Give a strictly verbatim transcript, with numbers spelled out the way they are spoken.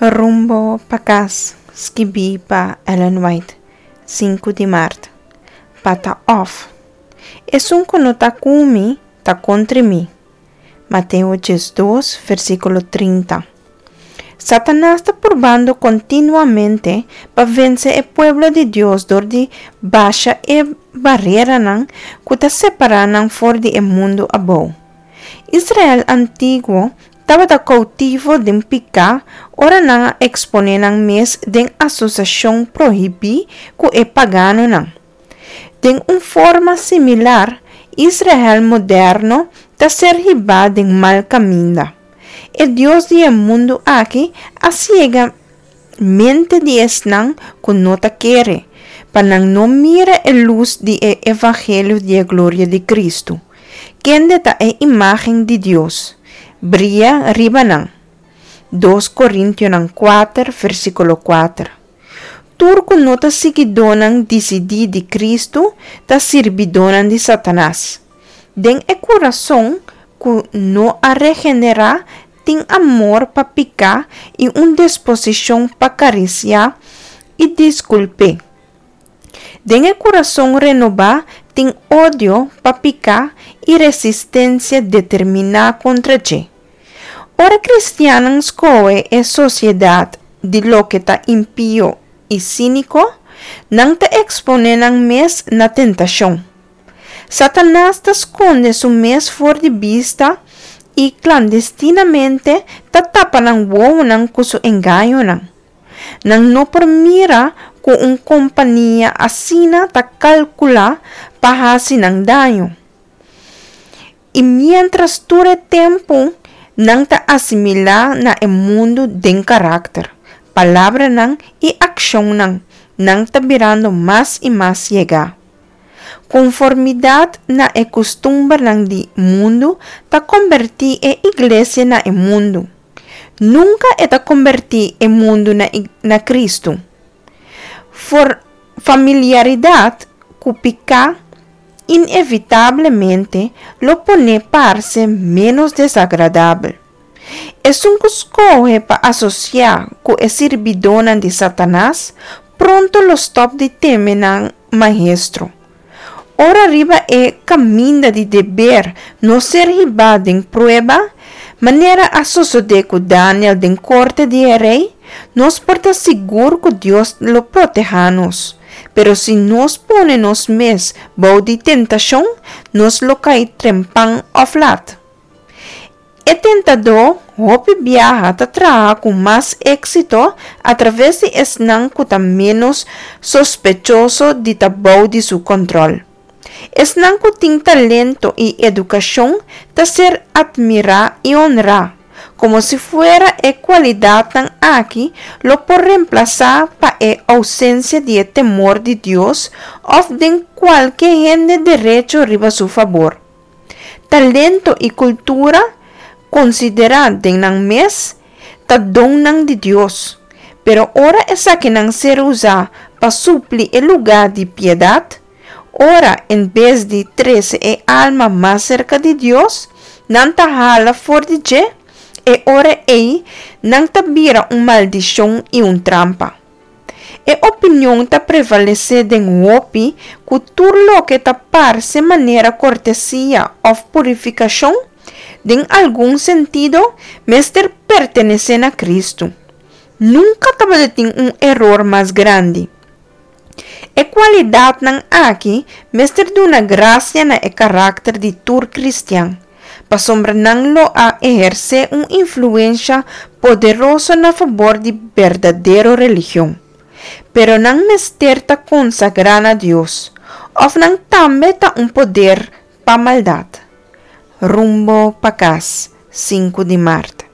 Rumbo pa Kas, skibí pa Ellen White, sinku di mart. Pa ta òf. Esun ku no ta ku mi, ta kontra mi. Mateo diesdos, versíkulo trinta. Satanas ta purbando kontinuamente pa vense e pueblo di Dios dor di basha e bareranan ku ta separá nan for di e mundu abou. Israel antiguo tabata koutivo den piká ora nan a eksponé nan mes den asosiashon prohibí ku e paganonan. Den un forma similar, Israel moderno ta ser hibá den mal kaminda. E dios di e mundu aki a siega mente di esnan ku no ta kere, pa nan no mira e lus di e evangelio di e gloria di Kristu, kende ta e imágen di Dios, bria riba nan. Dos Korintionan kuater, versíkulo kuater. Tur ku no ta siguidónan disidí di Kristu ta sirbidónan di Satanas. Den e kurason ku no a regenerá tin amor pa piká i un disposishon pa karisiá i diskulp'é. Den e kurason renobá tin odio pa piká i resistensia determiná kontra dje. Ora kristiannan skohe e sosiedat di loke ta impio i síniko, nan ta eksponé nan mes na tentashon. Satanas ta skonde su mes for di bista i klandestinamente ta tapa nan wowonan ku su engañonan. Nan no por mira ku un kompania asina ta kalkulá pa hasi nan daño. I miéntras tur e tempu nan ta asimilá na e mundu den karakter, palabranan i akshonnan, nan ta birando mas i mas yegá. Konformidat na e kustumbernan di mundu ta kombertí e iglesia na e mundu. Nunka e ta kombertí e mundu na na Kristu. For familiaridat ku piká inevitablemente lo pon'é parse ménos desagradabel. Esun ku skohe pa asosiá ku e sirbidónan di Satanas pronto lo stòp di teme nan maestro. Ora riba e kaminda di deber nos ser hibá den prueba, manera a sosodé ku Daniel den korte di e rei, nos por ta sigur ku Dios lo protehá nos. Pero si nos pone nos mes bou di tentashon, nos lo kai trempan òf lat. E tentadó hopi biaha ta traha ku mas éksito atraves di esnan ku ta ménos sospechoso di ta bou di su kòntròl. Esnan ku tin talento i edukashon ta ser atmirá i onrá, komo si fuera e kualidatnan aki lo por remplasá pa e ousensia di e temor di Dios òf den kualke hende derecho riba su fabor. Talento i kultura, konsiderá den nan mes, ta donnan di Dios, pero ora esakinan ser usá pa supli e lugá di piedat, ora en bes di trese e alma mas serka di Dios, nan ta hala for di dje, e ora ei nan ta bira un maldishon i un trampa. E opinion ta prevalesé den hopi ku tur loke ta parse manera kortesia òf purifikashon, den algun sentido, mester pertenesé na Kristu. Nunka tabatin un eror mas grandi. E kualidatnan aki mester duna grasia na e karakter di tur kristian, pasobra nan lo a ehersé un influensha poderoso na fabor di berdadero religion. Pero nan mester ta konsagrá na Dios, òf nan tambe ta un poder pa maldat. Rumbo pa Kas, sinku di mart.